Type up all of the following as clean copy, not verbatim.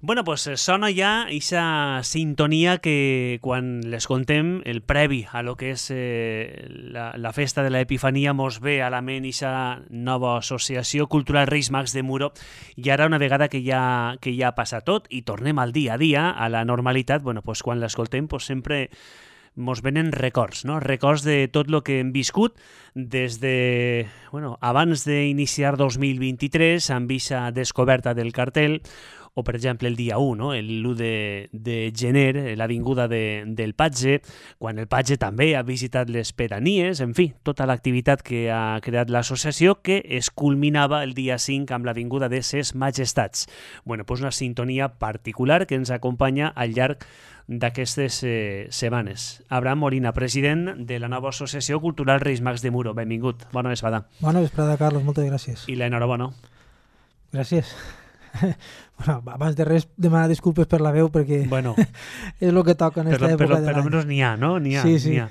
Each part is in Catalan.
Bueno, pues sona ja aquesta sintonia que quan l'escoltem, el previ a lo que és la festa de l'Epifania, mos ve a la ment aquesta nova associació cultural Reis Mags de Muro, i ara una vegada que ja ha passat tot i tornem al dia a dia, a la normalitat, bueno, pues quan l'escoltem pues sempre mos venen records, no? Records de tot el que hem viscut des de, bueno, abans d'iniciar 2023, amb aquesta descoberta del cartell, o, per exemple, el dia 1, no? L'1 de gener, l'avinguda del Patge, quan el Patge també ha visitat les pedanies, en fi, tota l'activitat que ha creat l'associació, que es culminava el dia 5 amb l'avinguda de Ses Majestats. Bueno, pues una sintonia particular que ens acompanya al llarg d'aquestes setmanes. Abraham Molina, president de la nova Associació Cultural Reis Mags de Muro. Benvingut. Bona vesprada. Bona vesprada, Carlos. Moltes gràcies. I l'enhorabona. Gràcies. Bueno, abans de res, demanar disculpes per la veu, perquè bueno, és el que toca en aquesta època de l'any. Per almenys n'hi ha, no? N'hi ha.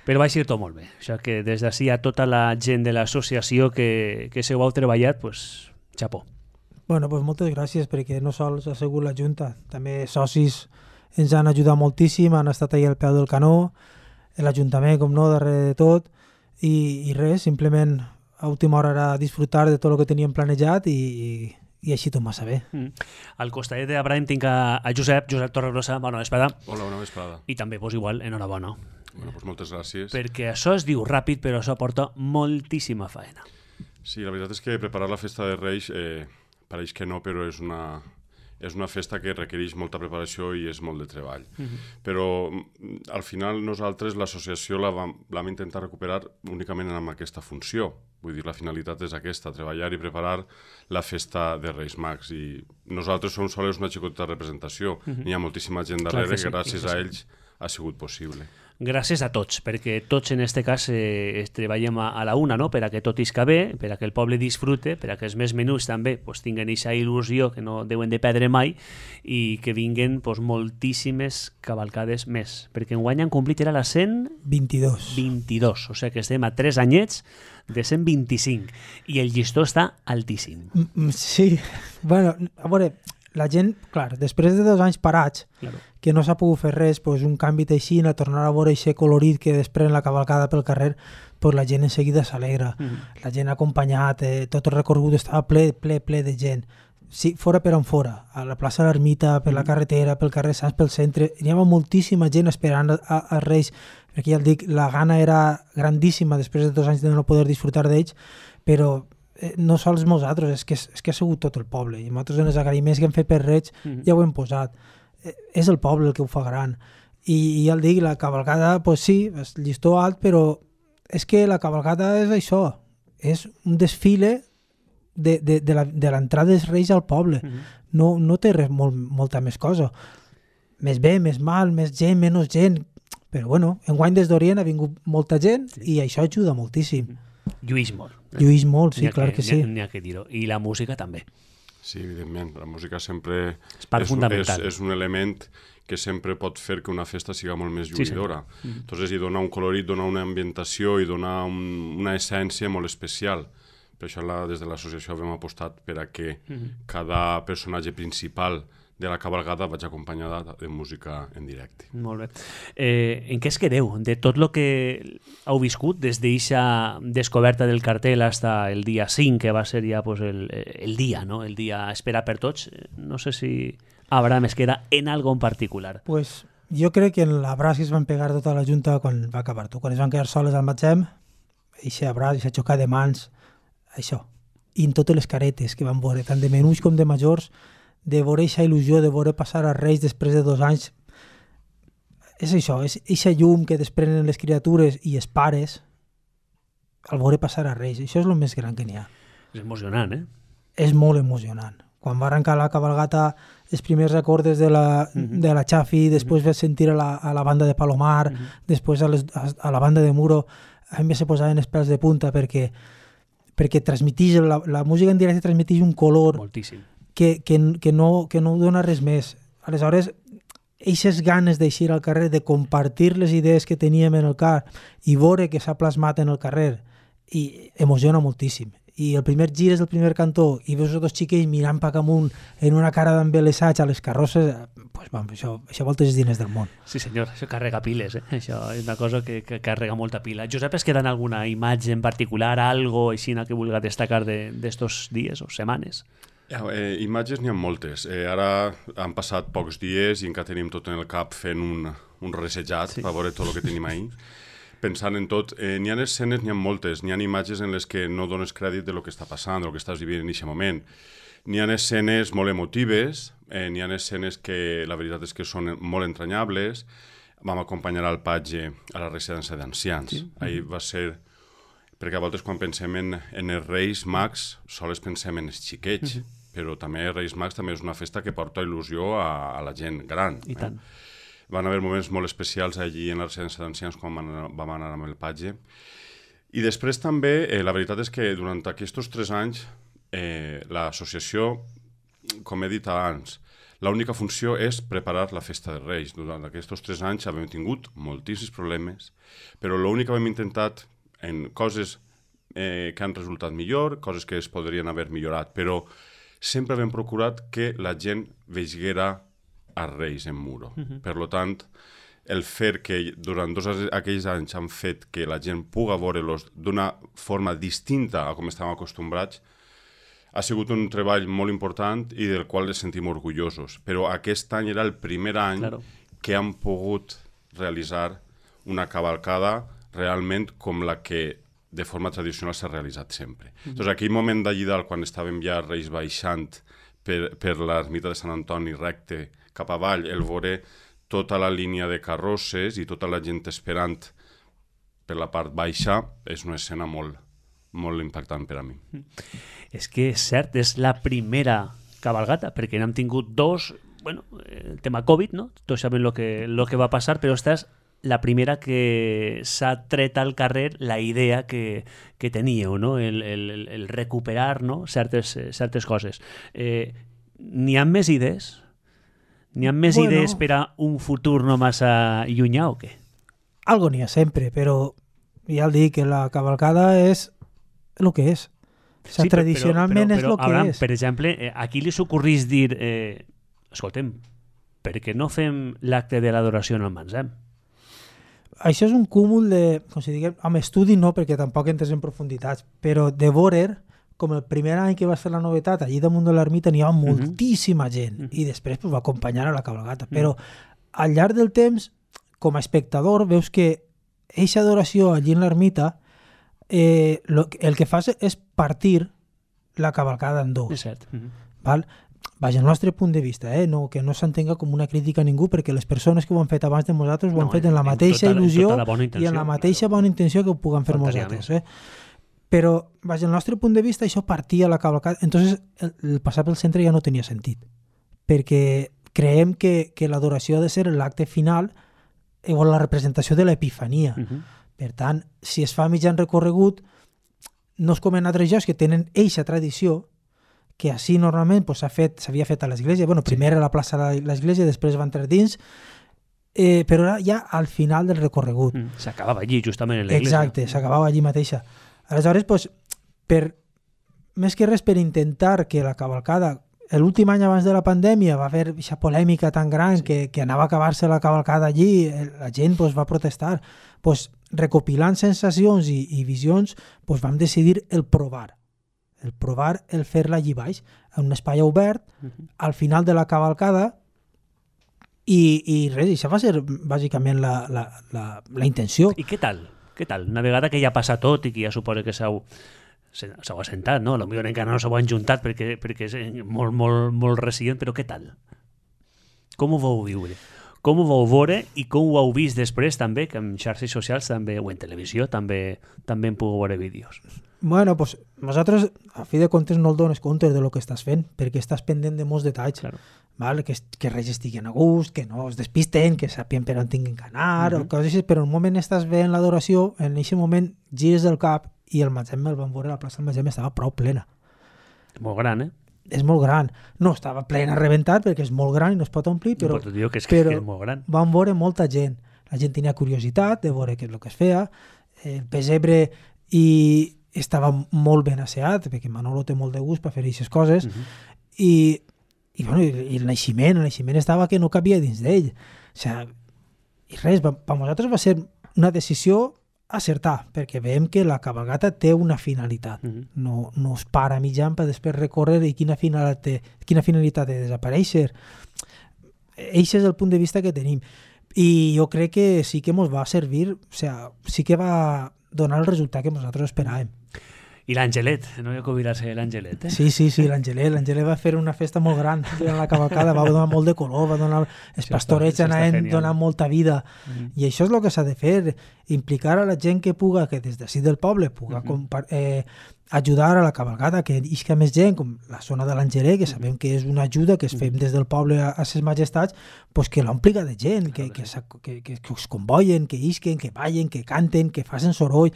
Però va ser tot molt bé. O sigui que des d'ací a tota la gent de l'associació que se ho heu treballat, pues, xapó. Bueno, pues moltes gràcies, perquè no sols ha sigut la Junta, també socis ens han ajudat moltíssim, han estat ahí al peu del canó, l'Ajuntament, com no, darrere de tot, i res, simplement a última hora era disfrutar de tot el que teníem planejat i així tot massa bé. Al costat d'Abraham tinc a Josep Torregrossa. Bona vesprada. Hola, bona vesprada. I també, pues, igual, enhorabona. Bueno, pues moltes gràcies. Perquè això es diu ràpid, però això porta moltíssima faena. Sí, la veritat és que preparar la festa de Reis pareix que no, però és una festa que requereix molta preparació i és molt de treball. Però al final nosaltres l'associació la vam intentar recuperar únicament amb aquesta funció. Vull dir, la finalitat és aquesta, treballar i preparar la festa de Reis Mags. I nosaltres som sols una xicoteta representació. N'hi ha moltíssima gent darrere que gràcies a ells ha sigut possible. Gràcies a tots, perquè tots en aquest cas treballem a la una, no? Per a que tot isca bé, per a que el poble disfrute, per a que els més menuts també pues, tinguen aquesta il·lusió que no deuen de perdre mai i que vinguen pues, moltíssimes cavalcades més. Perquè enguany han complit, era la 122. O sigui que estem a 3 anyets de 125 i el llistó està altíssim. Sí, bueno, a veure, la gent, clar, després de 2 anys parats, que no s'ha pogut fer res, pues un canvi així, a tornar a veure aquest colorit que desprèn la cavalcada pel carrer, pues la gent en seguida s'alegra. La gent ha acompanyat, tot el recorregut estava ple de gent. Sí, fora per on fora, a la plaça de l'Ermita, per la carretera, pel carrer Sants, pel centre, hi havia moltíssima gent esperant als Reis, perquè ja el dic, la gana era grandíssima després de 2 anys de no poder disfrutar d'ells, però no sols nosaltres, és que ha sigut tot el poble, i nosaltres en els agraïments que hem fet per Reig ja ho hem posat. És el poble el que ho fa gran. I ja el dic, la cavalcada, pues sí, és llistó alt, però és que la cavalcada és això, és un desfile de l'entrada dels Reis al poble. No té res, molta més cosa. Més bé, més mal, més gent, menys gent, però bueno, enguany des d'Orient ha vingut molta gent i això ajuda moltíssim. Lluís molt. Lluís molt, sí, clar que sí. N'hi ha que dir-ho. I la música també. Sí, evidentment. La música sempre és un element que sempre pot fer que una festa siga molt més lluïdora. Entonces, hi dona un colorit, dona una ambientació i dona una essència molt especial. Per això des de l'associació hem apostat per a que cada personatge principal de la cabalgada vaig acompanyada de música en directe. Molt bé. En què es quedeu de tot el que heu viscut des d'aquesta descoberta del cartell fins el dia 5, que va ser ja pues, el dia, no? El dia esperat per tots? No sé si Abraham es queda en algo en particular. Pues jo crec que en l'abraç que es van pegar tota la Junta quan va acabar tu, quan es van quedar soles al magatzem, aquest abraç, aquesta xocar de mans, això. I en totes les caretes que van veure, tant de menuts com de majors, de veure aquesta il·lusió, de veure passar a Reis després de 2 anys. És això, és aquesta llum que desprenen les criatures i els pares al veure passar a Reis. Això és el més gran que n'hi ha. És emocionant, És molt emocionant. Quan va arrencar la cabalgata, els primers recordes de la Chafi, després vas sentir a la banda de Palomar, després a la banda de Muro, a mi se posaven els pèls de punta perquè transmetix, la música en directe transmetix un color moltíssim. Que no dona res més. Aleshores, aquestes ganes d'eixir al carrer, de compartir les idees que teníem en el car i veure que s'ha plasmat en el carrer, i emociona moltíssim. i el primer gir és el primer cantó i veus els dos xiquets mirant pa amunt en una cara d'embelesats a les carrosses, pues, això voltes els diners del món. Sí senyor, això carrega piles, això és una cosa que carrega molta pila. Josep, es queda en alguna imatge en particular, algo així que vulga destacar d'estos dies o setmanes? Imatges n'hi ha moltes. Ara han passat pocs dies i encara tenim tot en el cap fent un resejat per veure tot el que tenim ahir. Pensant en tot, n'hi ha escenes, n'hi ha moltes, n'hi ha imatges en les que no dones crèdit de lo que està passant, del que estàs vivint en aquest moment. N'hi ha escenes molt emotives, n'hi ha escenes que la veritat és que són molt entranyables. Vam acompanyar al patge a la residència d'ancians. Sí. Ahir va ser... Perquè a voltes quan pensem en els Reis Mags sols pensem en els xiquets, però també Reis Mags també és una festa que porta il·lusió a la gent gran. I tant. Van haver moments molt especials allí en la residència d'ancians quan vam anar amb el patge. I després també, la veritat és que durant aquests 3 anys, l'associació, com he dit abans, l'única funció és preparar la festa de Reis. Durant aquests 3 anys hem tingut moltíssims problemes, però l'únic que hem intentat en coses que han resultat millor, coses que es podrien haver millorat, però sempre hem procurat que la gent veiguera a Reis en Muro. Per tant, el fer que durant aquells anys han fet que la gent pugui veure-los d'una forma distinta a com estàvem acostumbrats, ha sigut un treball molt important i del qual ens sentim orgullosos. Però aquest any era el primer any que hem pogut realitzar una cavalcada realment com la que de forma tradicional s'ha realitzat sempre. Doncs aquell moment d'allí dalt, quan estàvem ja Reis baixant per l'ermita de Sant Antoni recte cap avall, el veure tota la línia de carrosses i tota la gent esperant per la part baixa, és una escena molt, molt impactant per a mi. És que és cert, és la primera cabalgata, perquè n'hem tingut 2, bueno, el tema Covid, no? Tots sabem lo que va passar, però esta és la primera que s'ha tret al carrer la idea que teníeu, no? El recuperar, no? certes coses. N'hi ha més idees? N'hi ha més idees per a un futur no massa llunyà o què? Algo n'hi ha sempre, però ja el dic, que la cavalcada és el que és. O sigui, tradicionalment és el que Abraham, és. Per exemple, aquí li s'ocorrís dir escoltem, per què no fem l'acte de l'adoració en el Mansem? Això és un cúmul de, com si diguem, amb estudi no, perquè tampoc entres en profunditats, però de veure, com el primer any que va ser la novetat, allí damunt de l'ermita n'hi ha moltíssima gent, i després va acompanyar a la cabalgata. Però al llarg del temps, com a espectador, veus que eixa adoració allí en l'ermita, el que fa és partir la cavalcada en 2. És cert. Val? Vaja, el nostre punt de vista, no, que no s'entenga com una crítica a ningú, perquè les persones que ho han fet abans de nosaltres ho han fet en la mateixa il·lusió i en la mateixa bona intenció que ho puguem fer nosaltres. Però, vaja, el nostre punt de vista, això partia la cavalcada. Entonces, el passar pel centre ja no tenia sentit, perquè creiem que l'adoració ha de ser l'acte final o la representació de l'Epifania. Per tant, si es fa mitjan recorregut, no és com en altres llocs que tenen eixa tradició, que així normalment s'havia fet a l'església. Bueno, primer a la plaça de l'església, després va entrar dins, però era ja al final del recorregut. S'acabava allí, justament en l'església. Exacte, s'acabava allí mateixa. Aleshores, més que res per intentar que la cavalcada, l'últim any abans de la pandèmia va haver aquesta polèmica tan gran que anava a acabar-se la cavalcada allí, la gent va protestar. Recopilant sensacions i visions, vam decidir el provar el fer-la allí baix, en un espai obert, al final de la cavalcada, i res, això va ser bàsicament la intenció. I què tal? Una vegada que ja passa tot i que ja suposa que s'heu assentat, no? Potser encara no s'heu enjuntat perquè és molt, molt, molt recient, però què tal? Com ho vau viure? Com ho vau veure i com ho heu vist després també, que en xarxes socials també, o en televisió també en puc veure vídeos? Bueno, nosaltres, a fi de comptes, no el dones compte de lo que estàs fent, perquè estàs pendent de molts detalls. Claro. Val? Que res estiguen a gust, que no es despisten, que sàpien per on tinguin que anar, o coses així, però en un moment estàs veient l'adoració, en aquest moment gires el cap i el Mansem el van veure, la plaça del Mansem estava prou plena. És molt gran, És molt gran. No estava plena a rebentar perquè és molt gran i no es pot omplir, però és molt gran. Van veure molta gent. La gent tenia curiositat de veure què és el que es feia, el pesebre i estava molt ben asseat, perquè Manolo té molt de gust per fer aquestes coses, i el naixement estava que no cabia dins d'ell. O sigui, i res, per nosaltres va ser una decisió acertar, perquè veiem que la cabalgata té una finalitat. No es para mitjan per després recórrer i quina finalitat té desaparèixer. Eixe és el punt de vista que tenim. I jo crec que sí que ens va servir, o sigui, sí que va donar el resultat que nosaltres esperàvem. I l'Angelet, no hi ha que oblidar-se l'Angelet, eh? Sí, l'Angelet va fer una festa molt gran durant la cavalcada, va donar molt de color, va donar els pastorets anaven donant molta vida, i això és el que s'ha de fer, implicar a la gent que puga, que des d'ací del poble puga ajudar a la cavalgada, que isca més gent, com la zona de l'Angelet, que sabem que és una ajuda que es fem des del poble a ses majestats, pues que l'ompliga de gent, que es convoyen, que isquen, que ballen, que canten, que facin soroll.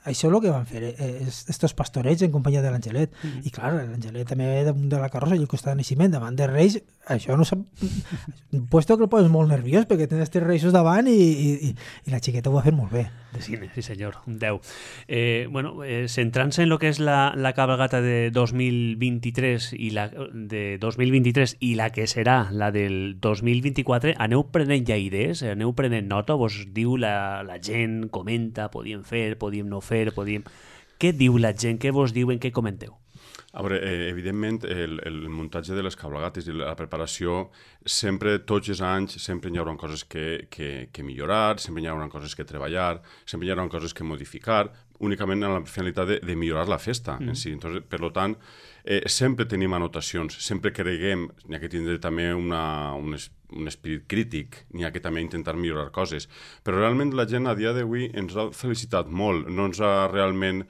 Això és el que van fer estos pastorets en companyia de l'Angelet. I clar, l'Angelet també damunt de la carrossa i el costat de naixement davant dels Reis, això no s'ha... Puesto que el poses molt nerviós perquè tens els Reisos davant i la xiqueta ho va fer molt bé. De cine, sí senyor, un 10. Centrant-se en el que és la cabalgata de 2023 i la que serà la del 2024, aneu prenent ja idees, aneu prenent nota, vos diu la gent, comenta, podíem fer, podíem no fer, Què diu la gent? Què vos diuen? Què comenteu? A veure, evidentment, el muntatge de les cabalgates i la preparació, sempre, tots els anys, sempre hi haurà coses que millorar, sempre hi haurà coses que treballar, sempre hi haurà coses que modificar, únicament amb la finalitat de millorar la festa en si. Entonces, per tant, sempre tenim anotacions, sempre creguem, n'hi ha que tindre també un esperit crític, n'hi ha que també intentar millorar coses. Però realment la gent a dia d'avui ens ha felicitat molt, no ens ha realment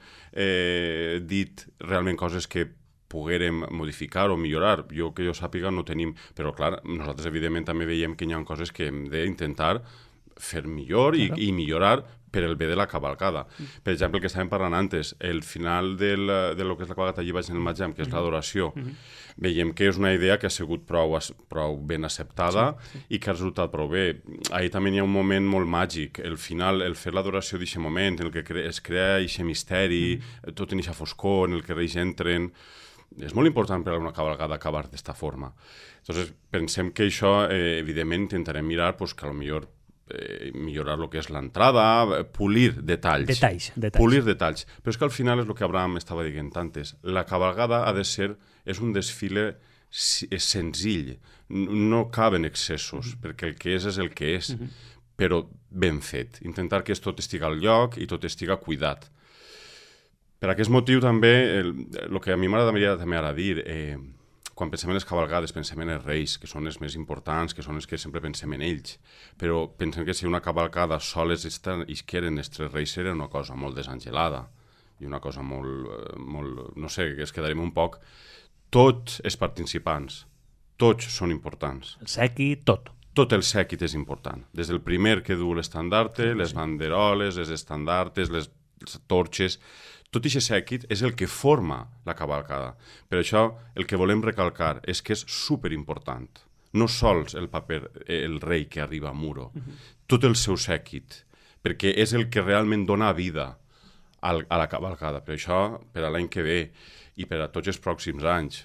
dit realment coses que poguérem modificar o millorar. Que jo sàpiga no tenim, però clar, nosaltres evidentment també veiem que hi ha coses que hem d'intentar fer millor i millorar per el bé de la cavalcada. Per exemple, el que estàvem parlant antes, el final de lo que és la cavalgata allí baix en el Matjam, que és l'adoració, veiem que és una idea que ha sigut prou ben acceptada i que ha resultat prou bé. Ahir també hi ha un moment molt màgic, el final, el fer l'adoració d'aquest moment, en el que es crea aquest misteri, tot en aquesta foscor, en el que Reis entren. És molt important per a una cavalgada acabar d'esta forma. Entonces, pensem que això, evidentment, intentarem mirar que potser millorar el que és l'entrada, pulir detalls. Pulir detalls. Però és que al final és el que Abraham estava dient antes. La cavalgada ha de ser, és un desfile senzill, no caben excessos, perquè el que és el que és, però ben fet. Intentar que tot estigui al lloc i tot estigui cuidat. Per aquest motiu també, el que a mi m'agradaria també ara dir, quan pensem en les cavalgades, pensem en els Reis, que són els més importants, que són els que sempre pensem en ells. Però pensem que si una cavalcada soles isqueren els tres Reis era una cosa molt desangelada i una cosa molt no sé, que es quedarem un poc. Tots els participants, tots són importants. El sèquit, tot. Tot el sèquit és important. Des del primer que du l'estandarte, les banderoles, les estandartes, les torxes... Tot aquest sèquit és el que forma la cavalcada. Per això el que volem recalcar és que és superimportant. No sols el paper, el rei que arriba a Muro, tot el seu sèquit, perquè és el que realment dona vida a la cavalcada. Per això, per a l'any que ve i per a tots els pròxims anys,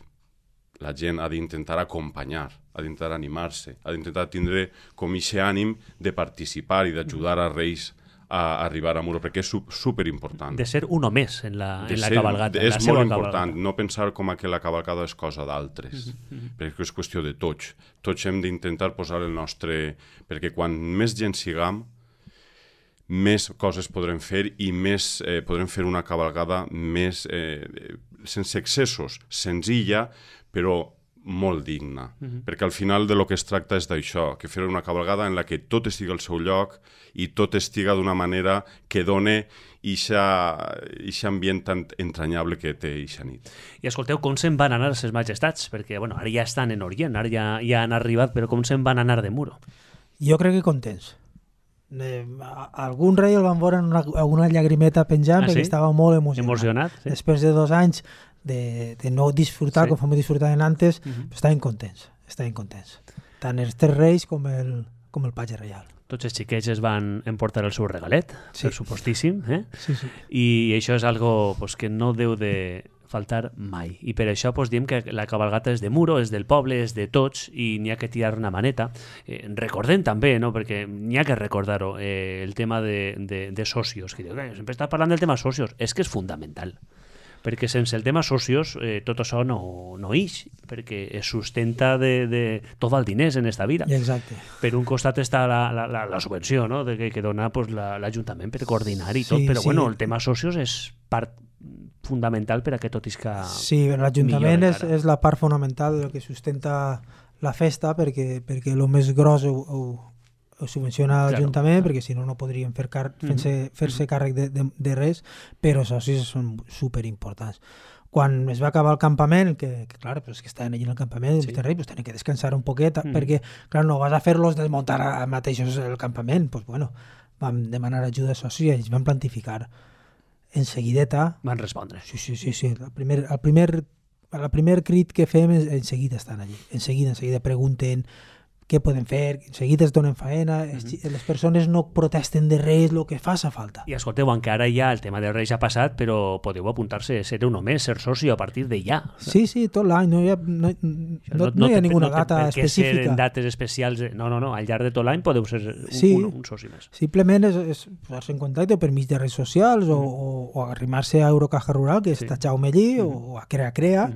la gent ha d'intentar acompanyar, ha d'intentar animar-se, ha d'intentar tindre com aquest ànim de participar i d'ajudar a Reis a arribar a Muro, perquè és superimportant. De ser uno més en la cavalgata. És molt important, no pensar com que la cavalgada és cosa d'altres, perquè és qüestió de tots. Tots hem d'intentar posar el nostre... Perquè quan més gent siguem, més coses podrem fer i més podrem fer una cavalgada més sense excessos, senzilla, però molt digna, perquè al final de lo que es tracta és d'això, que fer una cavalgada en la que tot estigui al seu lloc i tot estiga d'una manera que done aquest ambient tan entranyable que té aquesta nit. I escolteu, com se'n van anar ses majestats? Perquè ara ja estan en Orient, ara ja han arribat, però com se'n van anar de Muro? Jo crec que contents. Algun rei el van veure amb una llagrimeta penjant perquè estava molt emocionat. Després de 2 anys de no disfrutar com vam disfrutar antes, estaven contents. Tant els 3 reis com el patge reial. Tots els xiquets es van emportar el seu regalet, per supostíssim, Sí. I això és algo que no deu de faltar mai. I per això diem que la cabalgata és de Muro, és del poble, és de tots i n'hi ha que tirar una maneta. Recordem també, no? Perquè n'hi ha que recordar-ho, el tema de socios. Que diu, sempre està parlant del tema socios. És que és fundamental. Perquè sense el tema socios tot això no ix, perquè es sustenta de tot el diners en esta vida. Exacte. Per un costat està la subvenció, no? que dona l'Ajuntament per coordinar i tot, però bueno, el tema socios és part fundamental per a que tot isca. Sí, l'Ajuntament és la part fonamental del que sustenta la festa, perquè el més gros ho subvenciona l'Ajuntament, perquè si no, no podrien fer-se càrrec de res, però això sí són superimportants. Quan es va acabar el campament, que clar, pues que estaven allí en el campament, pues tenen que descansar un poquet, perquè clar, no vas a fer-los desmuntar a mateixos el campament. Pues bueno, vam demanar ajuda a socis i ells van plantificar. En seguideta... Van respondre. Sí. El primer crit que fem en seguida estan allí. En seguida pregunten què poden fer, en seguida es donen faena, les persones no protesten de res, el que faça falta. I escolteu, encara ja el tema dels Reis ha passat, però podeu apuntar-se, ser un home, ser soci a partir de ja. Sí, tot l'any, no hi ha ninguna data específica. Per què ser en dates especials? No, al llarg de tot l'any podeu ser un soci més. Simplement és posar-se en contacte per mig de redes socials o arrimar-se a Eurocaja Rural, que està Jaume allí, o a Crea,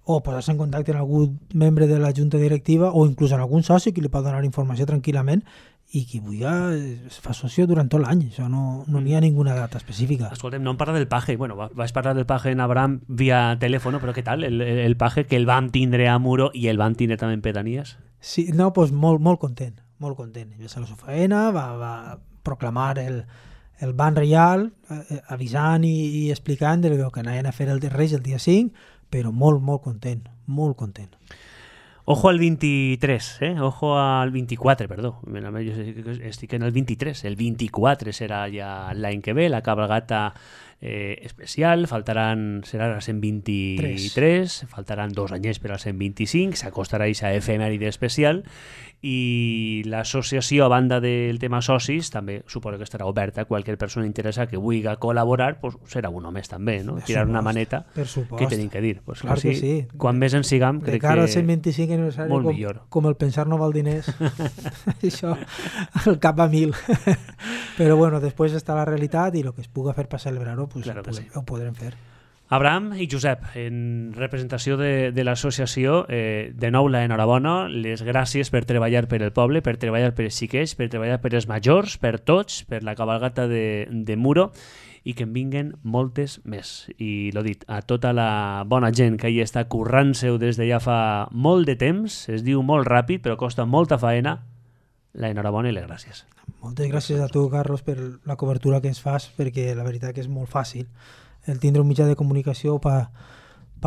o posar-se en contacte amb algun membre de la junta directiva o inclús amb algun soci que li pot donar informació tranquil·lament i qui vulgui es fa soci durant tot l'any. Això no hi ha ninguna data específica. Escoltem, no em parla del paje. Bueno, vaig parlar del paje en Abraham via telèfon, però què tal? El paje que el vam tindre a Muro i el vam tindre també en Pedanies? Sí, no, doncs molt content, molt content. Va ser la seva feina, va proclamar el ban reial, avisant i explicant que anaven a fer el de Reis el dia 5, però molt content, molt content. Ojo al 23, ojo al 24, perdó. Estic en el 23. El 24 serà ja l'any que ve, la cabalgata especial, serà la 123, faltaran 2 anyers per al 125, s'acostarà aquesta efemèride especial i l'associació, a banda del tema socis, també suposo que estarà oberta a qualsevol persona interessada que vulgui col·laborar, pues serà un home també, no? Tirar una maneta, que tenim que dir. Pues clar que sí. Quan més en sigam, crec que... De cara al 125 aniversari, com el pensar no val diners, això, el cap a 1000. Però bueno, després està la realitat i el que es puga fer per celebrar-ho, pues ho podrem fer. Abraham i Josep, en representació de l'associació, de nou l'enhorabona, les gràcies per treballar per el poble, per treballar per els xiquets, per treballar per els majors, per tots, per la cabalgata de Muro, i que en vinguen moltes més. I l'ho dit, a tota la bona gent que hi està currant-se-ho des de ja fa molt de temps, es diu molt ràpid, però costa molta faena, l'enhorabona i les gràcies. Moltes gràcies a tu, Carlos, per la cobertura que ens fas, perquè la veritat que és molt fàcil el tindre un mitjà de comunicació per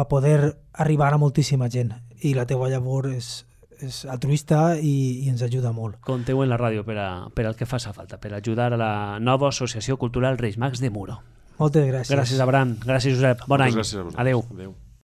poder arribar a moltíssima gent. I la teua llavor és altruista i ens ajuda molt. Compteu en la ràdio per al que faci falta, per ajudar a la nova Associació Cultural Reis Mags de Muro. Moltes gràcies. Gràcies, Abraham. Gràcies, Josep. Bon any. Gràcies a vosaltres. Adéu. Adéu.